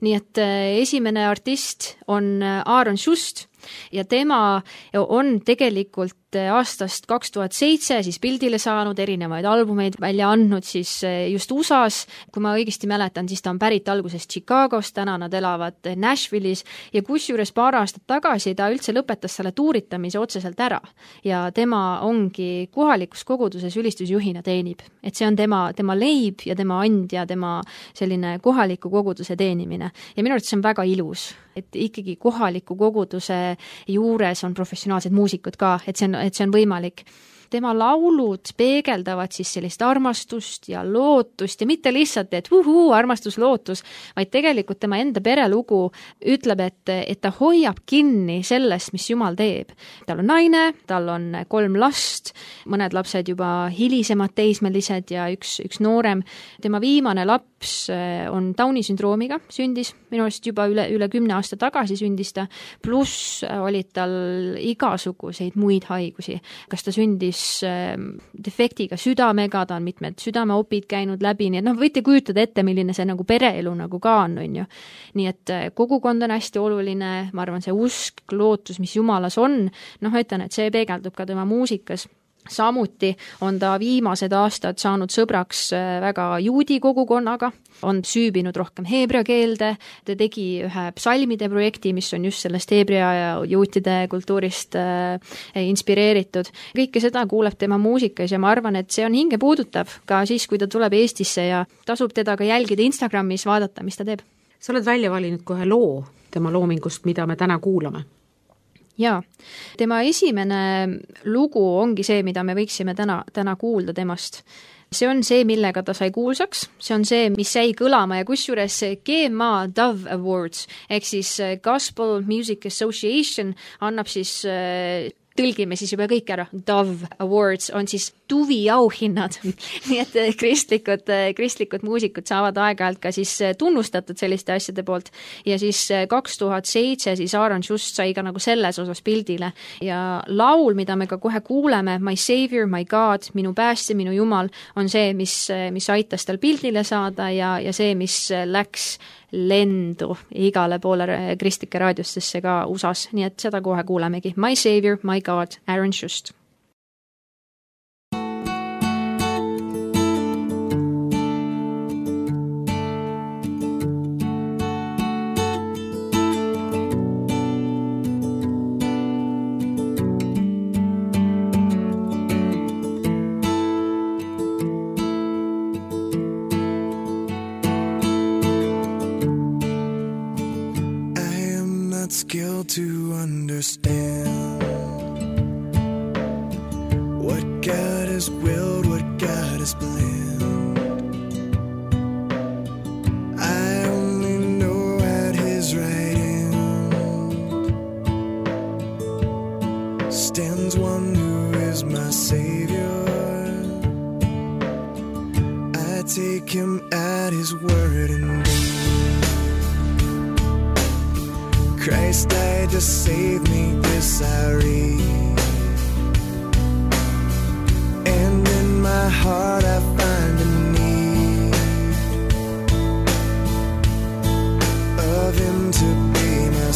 Nii et esimene artist on Aaron Sust ja tema on tegelikult aastast kaks tuhat seitse siis pildile saanud, erinevaid albumeid välja andnud siis just U S A-s, kui ma õigesti mäletan, siis ta on pärit algusest Chicagost, täna nad elavad Nashville'is ja kusjuures paar aastat tagasi ta üldse lõpetas selle tuuritamise otseselt ära ja tema ongi kohalikus koguduses ülistusjuhina teenib, et see on tema, tema leib ja tema and ja tema selline kohaliku koguduse teenimine ja minu arvates see on väga ilus, et ikkagi kohaliku koguduse juures on professionaalsed muusikud ka, et see on, et see on võimalik. Tema laulud peegeldavad siis sellist armastust ja lootust ja mitte lihtsalt, et uhuu, armastus, lootus, vaid tegelikult tema enda perelugu ütleb, et, et ta hoiab kinni sellest, mis Jumal teeb. Tal on naine, tal on kolm last, mõned lapsed juba hilisemad teismelised ja üks, üks noorem. Tema viimane laps on Downi sündroomiga, sündis minu arust juba üle, üle kümne aasta tagasi sündis ta, pluss olid tal igasuguseid muid haigusi. Kas ta sündis defektiga südamega, ta on mitmed südameopid käinud läbi, nii et noh, võite kujutada ette, milline see nagu pereelu nagu ka on, on ju. Nii et kogukond on hästi oluline, ma arvan, see usk, lootus, mis Jumalas on, noh, ütlen, et see peegeldub ka tema muusikas. Samuti on ta viimased aastad saanud sõbraks väga juudi kogukonnaga, on süübinud rohkem heebrea keelde, ta tegi ühe psalmide projekti, mis on just sellest heebrea ja juutide kultuurist äh, inspireeritud. Kõike seda kuuleb tema muusikas ja ma arvan, et see on hinge puudutav ka siis, kui ta tuleb Eestisse ja tasub teda ka jälgida Instagramis, vaadata, mis ta teeb. Sa oled välja valinud kohe loo tema loomingust, mida me täna kuulame. Jaa, tema esimene lugu ongi see, mida me võiksime täna, täna kuulda temast. See on see, millega ta sai kuulsaks, see on see, mis jäi kõlama ja kusjuures G M A Dove Awards ehk siis Gospel Music Association annab siis tõlgime siis juba kõik ära, Dove Awards on siis tuvi auhinnad, nii et kristlikud, kristlikud muusikud saavad aeg-ajalt ka siis tunnustatud selliste asjade poolt ja siis kaks tuhat seitse siis Aaron Sust sai ka nagu selles osas pildile ja laul, mida me ka kohe kuuleme, My Savior, My God, minu päästja, minu Jumal, on see, mis, mis aitas tal pildile saada ja, ja see, mis läks lendu igale poole kristlike raadiostesse ka U S A-s, nii et seda kohe kuulemegi. My Savior, My God, Aaron Sust. Skill to understand what God has willed, what God has planned. I only know at His right hand stands one who is my Savior. I take Him at His word and Christ died to save me, this I read. And in my heart I find a need of Him to be my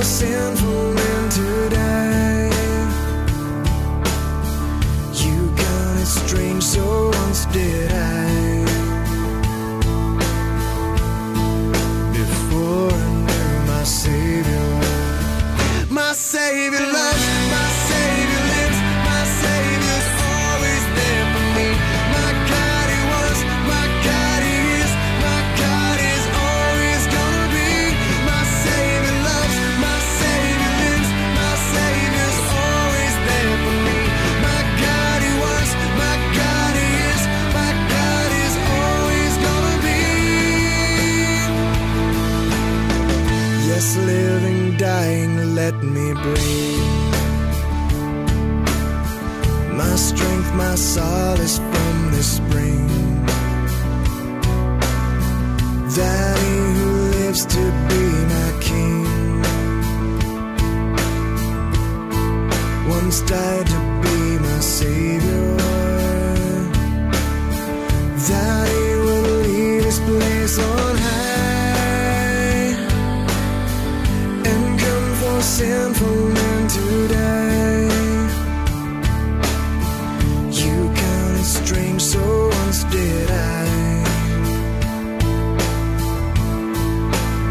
sinful men to die. You counted strange, so once did I. Before I knew my Savior, my Savior loves, my Savior lives, my Savior's always there for me. My God he was, my God he is, my God is always gonna be. My Savior loves, my Savior lives, my Savior's always there for me. My God he was, my God he is, my God is always gonna be. Yes, living, dying, let me breathe. My strength, my solace from this spring. That he who lives to be my King once died to be my Savior. That he will leave his place on high and come for sinful men to die. You counted strange, so once did I.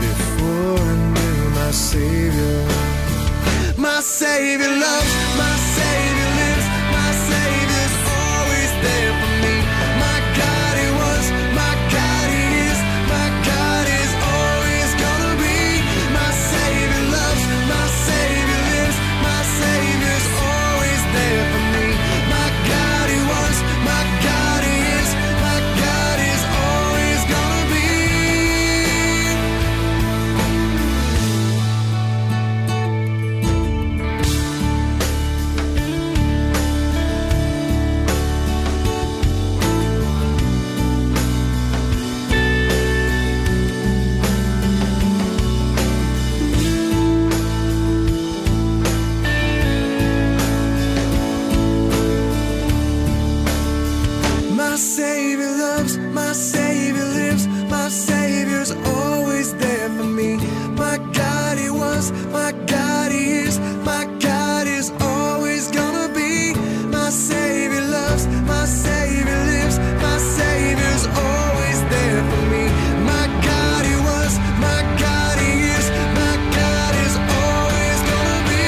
Before I knew my Savior, my Savior loves, my Savior lives, my Savior's always there for me. My God he was, my God he is, my God is always gonna be. My Savior loves, my Savior lives, my Savior's always there for me. My God he was, my God he is, my God is always gonna be. My Savior loves, my Savior lives, my Savior's always there for me. My God he was, my God he is, my God is always gonna be. My Savior loves, my Savior lives, my Savior's always there for me. My God he was, my God he is, my God is always gonna be.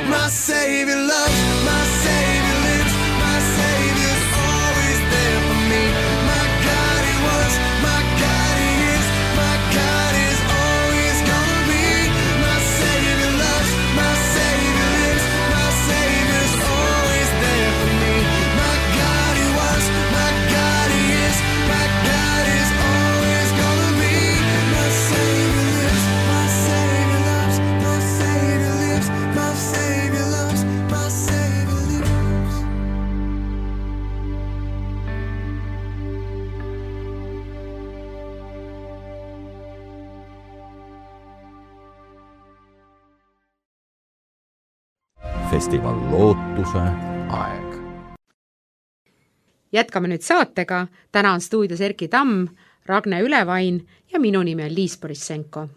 My Savior loves, my Savior lives, my Savior's always there for me. My God he was, my God he is, my God is always gonna be. My Savior loves, my Savior lives, my Savior's always there for me. My God he was, my God he is, my God is always gonna be. My Savior lives, my Savior loves, my Savior lives, my Savior loves, my Savior lives. festival Lootuse aeg. Jätkame nüüd saatega, täna on stuudios Erki Tamm, Ragne Ülevain ja minu nimi on Liis Borissenko.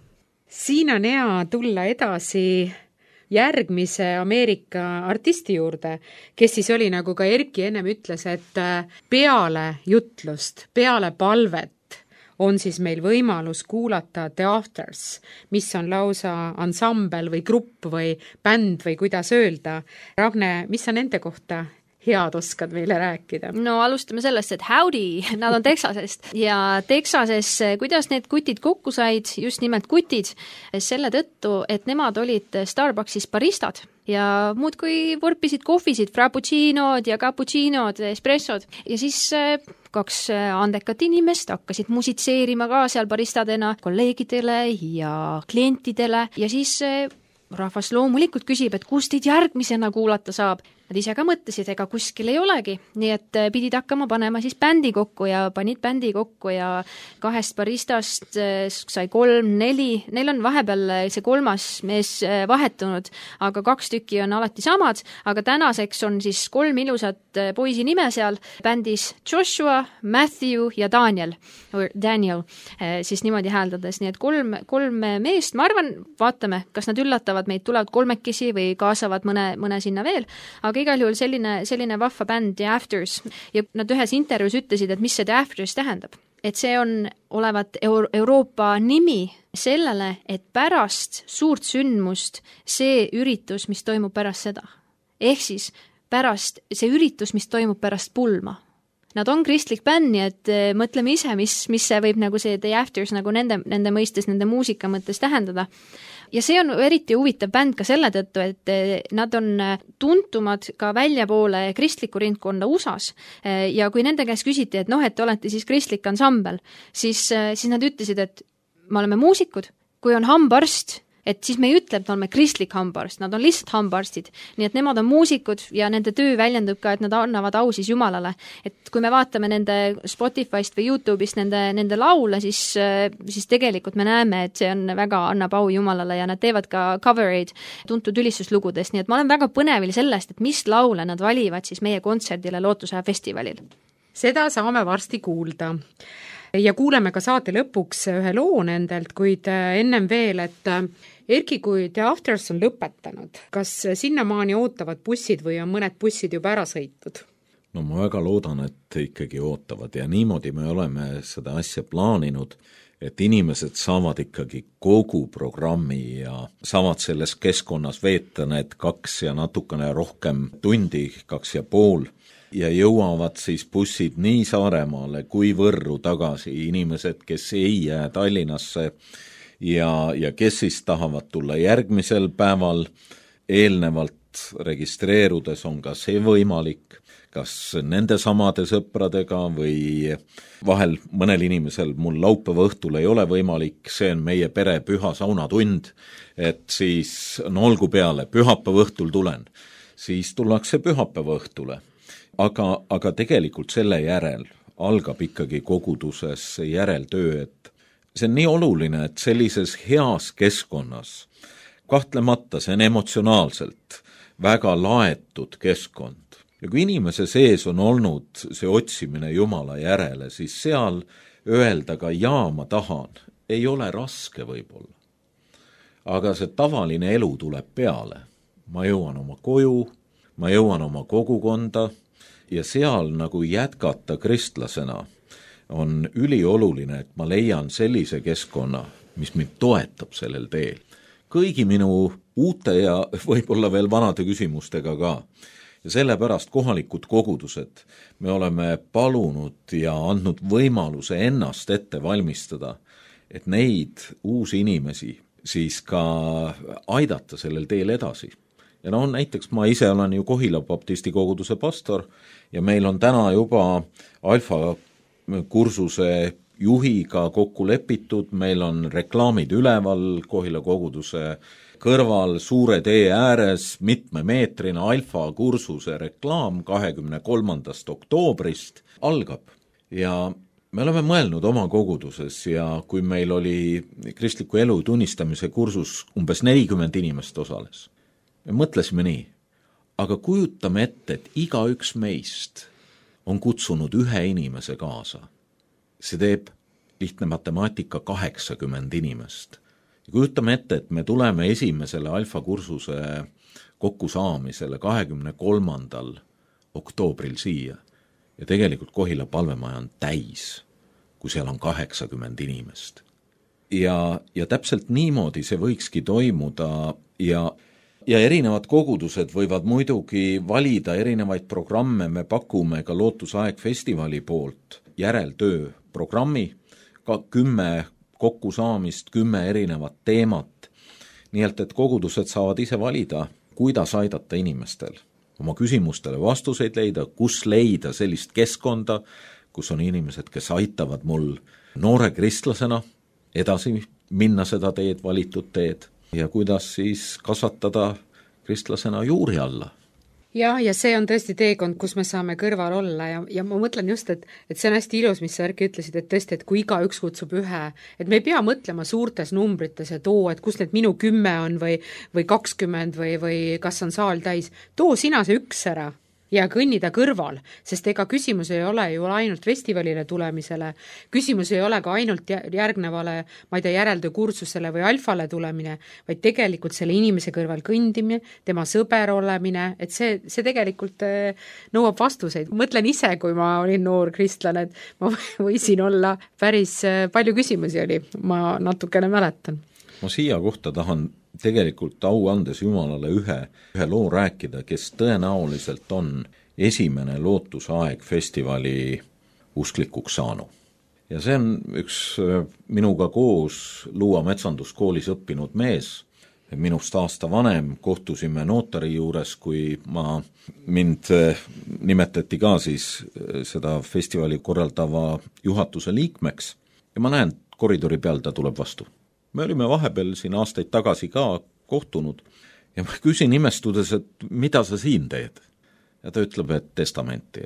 Siin on hea tulla edasi järgmise Ameerika artisti juurde, kes siis oli, nagu ka Erki ennem ütles, et peale jutlust, peale palvet on siis meil võimalus kuulata The Afters, mis on lausa ansambel või grupp või bänd või kuidas öelda. Ragne, mis sa nende kohta head oskad meile rääkida? No alustame sellest, et howdy, nad on Texasest ja Texases, kuidas need kutid kokku said, just nimelt kutid, selle tõttu, et nemad olid Starbucksis baristad ja muudkui vorpisid kohvisid, frappuccinod ja cappuccinod, espressod ja siis kaks andekat inimest hakkasid musitseerima ka seal baristadena kolleegidele ja klientidele ja siis rahvas loomulikult küsib, et kust teid järgmisena kuulata saab. Nad ise ka mõtlesid, ega kuskil ei olegi, nii et pidid hakkama panema siis bändi kokku ja panid bändi kokku ja kahest baristast sai kolm, neli, neil on vahepeal see kolmas mees vahetunud, aga kaks tükki on alati samad, aga tänaseks on siis kolm ilusat poisi nime seal bändis Joshua, Matthew ja Daniel, or Daniel, siis niimoodi hääldades, nii et kolm, kolm meest, ma arvan, vaatame, kas nad üllatavad meid, tulevad kolmekesi või kaasavad mõne, mõne sinna veel, aga igal juhul selline, selline vahva bänd The Afters ja nad ühes intervjuus ütlesid, et mis see The Afters tähendab. Et see on olevat Euro- Euroopa nimi sellele, et pärast suurt sündmust see üritus, mis toimub pärast seda. Ehk siis pärast see üritus, mis toimub pärast pulma. Nad on kristlik bänd, nii et mõtleme ise, mis, mis see võib nagu see The Afters nagu nende, nende mõistes, nende muusika mõttes tähendada. Ja see on eriti huvitav bänd ka selle tõttu, et nad on tuntumad ka väljapoole kristliku rindkonda U S A-s ja kui nende käest küsiti, et noh, et olete siis kristlik ansambel, siis, siis nad ütlesid, et me oleme muusikud, kui on hambaarst, et siis me ei ütle, et oleme kristlik hambaarst, nad on lihtsalt hambaarstid. Nii et nemad on muusikud ja nende töö väljendub ka, et nad annavad au siis Jumalale. Et kui me vaatame nende Spotify'st või YouTube'ist nende, nende laule, siis, siis tegelikult me näeme, et see on väga annab au Jumalale ja nad teevad ka covereid tuntud ülistuslugudest. Nii et ma olen väga põnevil sellest, et mis laule nad valivad siis meie kontserdile Lootusaja festivalil. Seda saame varsti kuulda. Ja kuuleme ka saate lõpuks ühe loo nendelt, kuid ennem veel, et Erki, kui The Afters on lõpetanud, kas sinnamaani ootavad bussid või on mõned bussid juba ära sõitud? No ma väga loodan, et ikkagi ootavad ja niimoodi me oleme seda asja plaaninud, et inimesed saavad ikkagi kogu programmi ja saavad selles keskkonnas veeta need kaks ja natukene rohkem tundi, kaks ja pool, ja jõuavad siis bussid nii Saaremaale kui Võrru tagasi, inimesed, kes ei jää Tallinnasse ja, ja kes siis tahavad tulla järgmisel päeval, eelnevalt registreerudes on ka see võimalik, kas nende samade sõpradega või vahel mõnel inimesel mul laupäeva õhtul ei ole võimalik, see on meie pere püha saunatund, et siis no olgu peale, pühapäeva õhtul tulen, siis tullakse pühapäeva õhtule. Aga, aga tegelikult selle järel algab ikkagi koguduses järeltöö, et see on nii oluline, et sellises heas keskkonnas, kahtlemata see on emotsionaalselt väga laetud keskkond. Ja kui inimese sees on olnud see otsimine Jumala järele, siis seal öelda ka jaa, ma tahan, ei ole raske võib-olla. Aga see tavaline elu tuleb peale. Ma jõuan oma koju, ma jõuan oma kogukonda, ja seal nagu jätkata kristlasena on ülioluline, et ma leian sellise keskkonna, mis mind toetab sellel teel. Kõigi minu uute ja võib-olla veel vanade küsimustega ka. Ja sellepärast kohalikud kogudused me oleme palunud ja andnud võimaluse ennast ette valmistada, et neid uusi inimesi siis ka aidata sellel teel edasi. Ja no näiteks ma ise olen ju Kohila baptisti koguduse pastor ja meil on täna juba alfa kursuse juhiga kokku lepitud, meil on reklaamid üleval Kohila koguduse kõrval suure tee ääres mitmemeetrine alfa kursuse reklaam kahekümne kolmandast oktoobrist algab ja me oleme mõelnud oma koguduses ja kui meil oli kristliku elu tunnistamise kursus umbes nelikümmend inimest osales. Me mõtlesime nii, aga kujutame ette, et iga üks meist on kutsunud ühe inimese kaasa. See teeb lihtne matemaatika kaheksakümmend inimest. Ja kujutame ette, et me tuleme esimesele alfa kursuse kokkusaamisele kahekümne kolmandal oktoobril siia ja tegelikult Kohila palvemaja on täis, kui seal on kaheksakümmend inimest. Ja, ja täpselt niimoodi see võikski toimuda ja Ja erinevad kogudused võivad muidugi valida erinevaid programme, me pakume ka Lootusaeg festivali poolt järeltöö programmi, ka kümme kokkusaamist, kümme erinevat teemat, nii et, et kogudused saavad ise valida, kuidas aidata inimestel oma küsimustele vastuseid leida, kus leida sellist keskkonda, kus on inimesed, kes aitavad mul noore kristlasena edasi minna seda teed, valitud teed, ja kuidas siis kasvatada kristlasena juuri alla. jah, ja see on tõesti teekond, kus me saame kõrval olla ja, ja ma mõtlen just, et, et see on hästi ilus, mis sa Erki ütlesid, et tõesti, et kui igaüks kutsub ühe, et me ei pea mõtlema suurtes numbrites, et oo, et kus need minu kümme on või, või kakskümmend või, või kas on saal täis, too sina see üks ära ja kõnnida kõrval, sest ega küsimus ei ole ju ainult festivalile tulemisele, küsimus ei ole ka ainult järgnevale, ma ei tea, järeltöö kursusele või alfale tulemine, vaid tegelikult selle inimese kõrval kõndimine, tema sõber olemine, et see, see tegelikult nõuab vastuseid. Mõtlen ise, kui ma olin noor kristlane, et ma võisin olla päris palju küsimusi oli, ma natukene mäletan. Ma siia kohta tahan tegelikult au andes Jumalale ühe, ühe loo rääkida, kes tõenäoliselt on esimene Lootusaeg festivali usklikuks saanu. Ja see on üks minuga koos Luua metsanduskoolis õppinud mees, minust aasta vanem, kohtusime notari juures, kui ma, mind nimetati ka siis seda festivali korraldava juhatuse liikmeks ja ma näen, koridori peal ta tuleb vastu. Me olime vahepeal siin aastaid tagasi ka kohtunud ja ma küsin imestudes, et mida sa siin teed? Ja ta ütleb, et testamenti.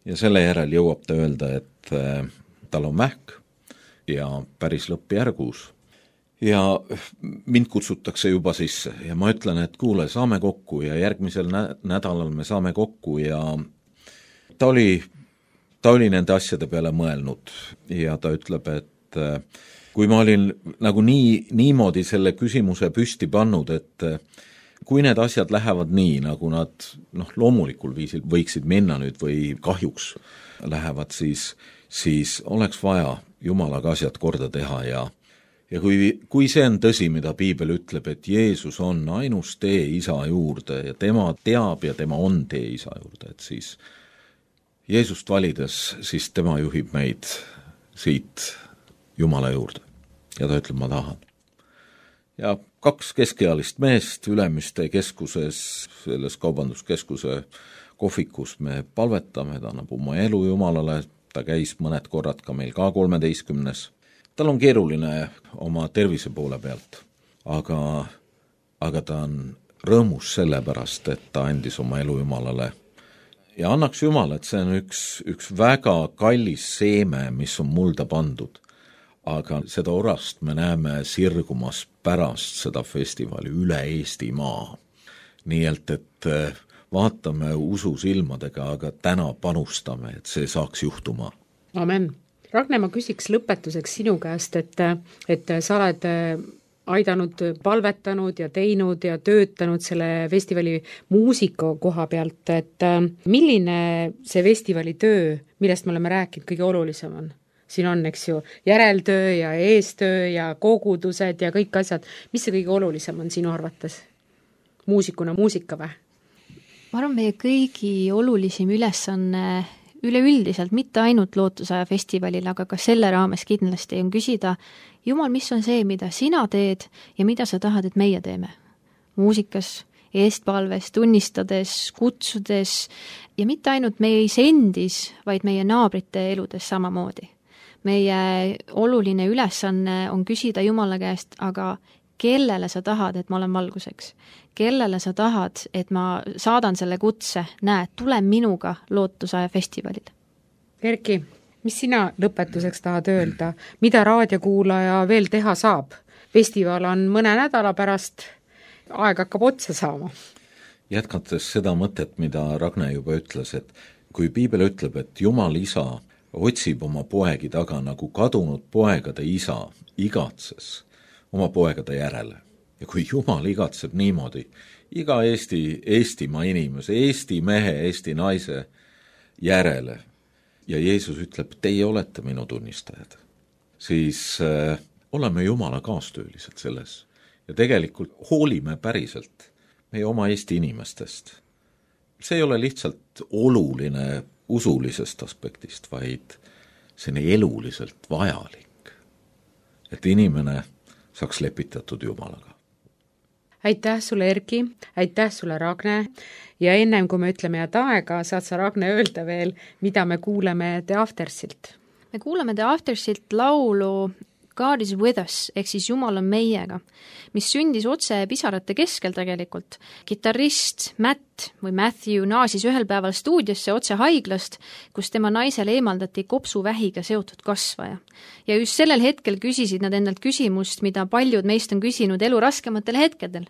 Ja selle järel jõuab ta öelda, et äh, tal on vähk ja päris lõppjärgus. Ja mind kutsutakse juba sisse ja ma ütlen, et kuule, saame kokku ja järgmisel nä- nädalal me saame kokku ja ta oli, ta oli nende asjade peale mõelnud ja ta ütleb, et äh, kui ma olin nagu nii, niimoodi selle küsimuse püsti pannud, et kui need asjad lähevad nii, nagu nad noh, loomulikul viisil võiksid minna nüüd või kahjuks lähevad, siis, siis oleks vaja Jumalaga asjad korda teha ja, ja kui, kui see on tõsi, mida piibel ütleb, et Jeesus on ainus tee isa juurde ja tema teab ja tema on tee isa juurde, et siis Jeesust valides, siis tema juhib meid siit Jumala juurde. Ja ta ütleb, ma tahan. Ja kaks keskealist meest Ülemiste keskuses, selles kaubanduskeskuse kohvikus me palvetame, ta annab oma elu Jumalale, ta käis mõned korrad ka meil ka kolmeteistkümnes. Tal on keeruline oma tervise poole pealt, aga, aga ta on rõõmus selle pärast, et ta andis oma elu Jumalale. Ja annaks Jumal, et see on üks, üks väga kallis seeme, mis on mulda pandud. Aga seda orast me näeme sirgumas pärast seda festivali üle Eesti maa. Nii et, et vaatame usu silmadega, aga täna panustame, et see saaks juhtuma. Amen. Ragne, ma küsiks lõpetuseks sinu käest, et, et sa oled aidanud, palvetanud ja teinud ja töötanud selle festivali muusika koha pealt, et milline see festivali töö, millest me oleme rääkinud, kõige olulisem on? Siin on, eks ju, järeltöö ja eestöö ja kogudused ja kõik asjad. Mis see kõige olulisem on sinu arvates? Muusikuna muusika või? Ma arvan, meie kõigi olulisim ülesanne üleüldiselt, mitte ainult Lootusaja festivalil, aga ka selle raames kindlasti on küsida, Jumal, mis on see, mida sina teed ja mida sa tahad, et meie teeme? Muusikas, eestpalves, tunnistades, kutsudes ja mitte ainult meie isendis, vaid meie naabrite eludes samamoodi. Meie oluline ülesanne on küsida Jumala käest, aga kellele sa tahad, et ma olen valguseks? Kellele sa tahad, et ma saadan selle kutse, näe, tule minuga Lootusaja festivalil? Erki, mis sina lõpetuseks tahad öelda? Mida raadiokuulaja veel teha saab? Festival on mõne nädala pärast, aeg hakkab otsa saama. Jätkates seda mõtet, mida Ragne juba ütles, et kui piibel ütleb, et Jumal isa otsib oma poegi taga nagu kadunud poegade isa igatses oma poegade järele. Ja kui Jumal igatseb niimoodi, iga Eesti, Eestimaa inimese, Eesti mehe, Eesti naise järele ja Jeesus ütleb, teie olete minu tunnistajad, siis äh, oleme Jumala kaastöölised selles ja tegelikult hoolime päriselt meie oma Eesti inimestest. See ei ole lihtsalt oluline usulisest aspektist, vaid see on eluliselt vajalik, et inimene saaks lepitatud Jumalaga. Aitäh sulle, Erki, aitäh sulle, Ragne, ja ennem kui me ütleme head aega, saad sa, Ragne, öelda veel, mida me kuuleme The Aftersilt? Me kuuleme The Aftersilt laulu God is with us, ehk siis Jumal on meiega, mis sündis otse pisarate keskel tegelikult. Kitarrist Matt Matt või Matthew naasis ühel päeval stuudiosse otse haiglast, kus tema naisele eemaldati kopsuvähiga seotud kasvaja. Ja just sellel hetkel küsisid nad endalt küsimust, mida paljud meist on küsinud elu raskematel hetkedel.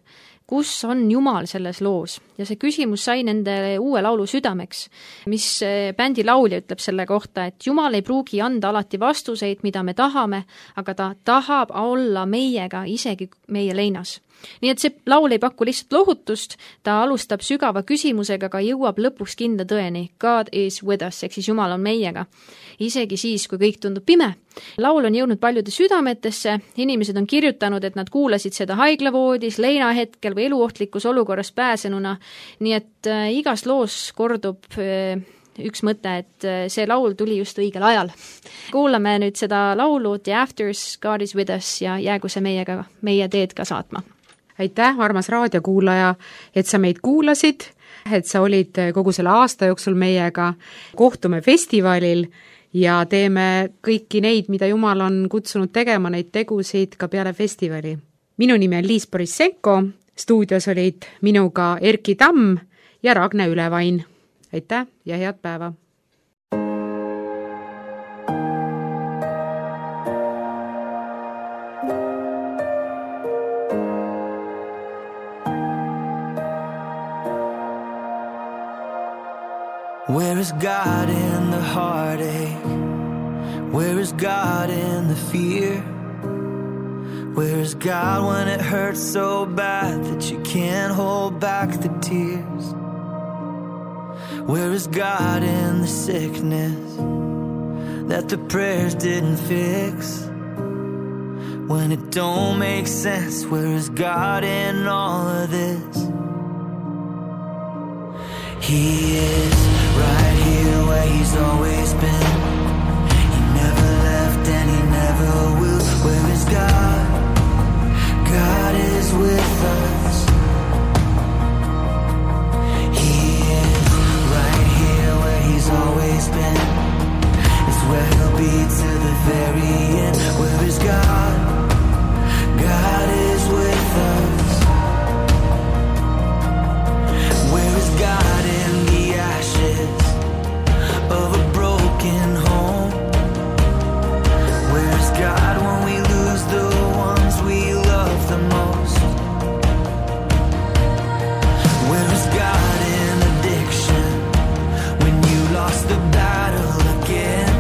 Kus on Jumal selles loos? Ja see küsimus sai nende uue laulu südameks, mis bändi laulja ütleb selle kohta, et Jumal ei pruugi anda alati vastuseid, mida me tahame, aga ta tahab olla meiega isegi meie leinas. Nii et see laul ei paku lihtsalt lohutust, ta alustab sügava küsimusega, aga jõuab lõpuks kindla tõeni. God is with us, ehk siis Jumal on meiega. Isegi siis, kui kõik tundub pime. Laul on jõudnud paljude südametesse, inimesed on kirjutanud, et nad kuulasid seda haiglavoodis, leinahetkel või eluohtlikus olukorras pääsenuna, nii et äh, igas loos kordub äh, üks mõte, et äh, see laul tuli just õigel ajal. Kuulame nüüd seda laulu The Afters, God is with us ja jäägu see meiega, meie teed ka saatma. Aitäh, armas raadiokuulaja, et sa meid kuulasid, et sa olid kogu selle aasta jooksul meiega. Kohtume festivalil ja teeme kõiki neid, mida Jumal on kutsunud tegema, neid tegusid ka peale festivali. Minu nimi on Liis Borissenko, stuudios olid minuga Erki Tamm ja Ragne Ülevain. Aitäh ja head päeva! Where is God in the heartache? Where is God in the fear? Where is God when it hurts so bad that you can't hold back the tears? Where is God in the sickness that the prayers didn't fix? When it don't make sense, where is God in all of this? He is right here where he's always been. He never left and he never will. Where is God? God is with us. He is right here where he's always been. It's where he'll be to the very end. Where is God? God is with us. Where is God in the ashes of a broken home? Where is God when we lose the ones we love the most? Where is God in addiction when you lost the battle again?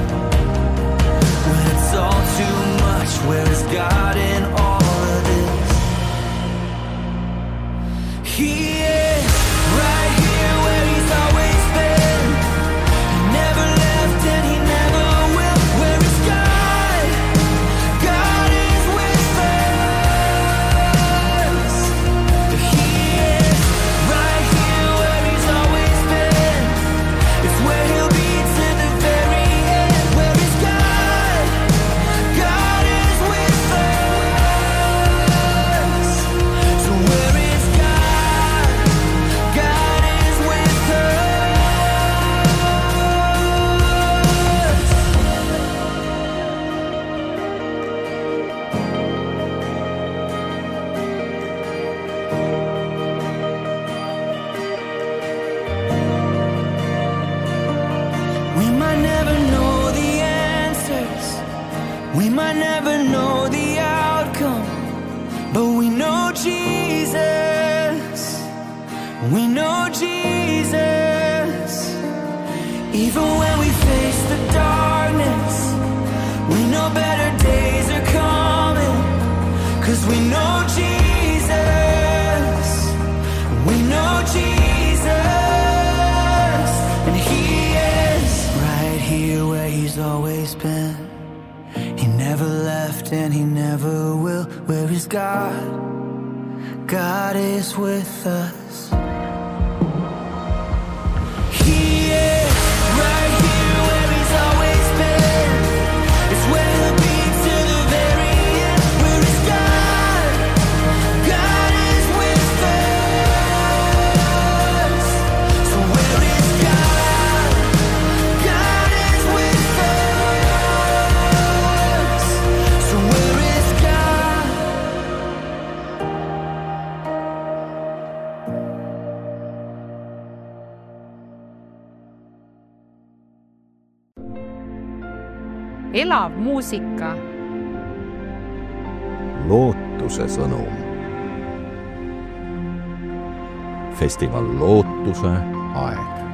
When it's all too much, where is God in all of this? He is right here where he's always been. He never left and he never will. Where is God? God is with us. He is right here where he's always been. It's where he'll be to the very end. Where is God? God is with us. So where is God? God is with us. We might never know the answers, we might never know the outcome, but we know Jesus, we know Jesus. Even when we face the darkness, we know better days are coming, 'cause we know Jesus, we know Jesus, and he is right here where he's always been. He never left and he never will. Where is God? God is with us. He is right here where he's always been. It's where he'll be to the very end. Where is God? God is with us. So where is God? God is with us. So where is God? elav muusika. Lootuse sõnum. Festival Lootuse aeg.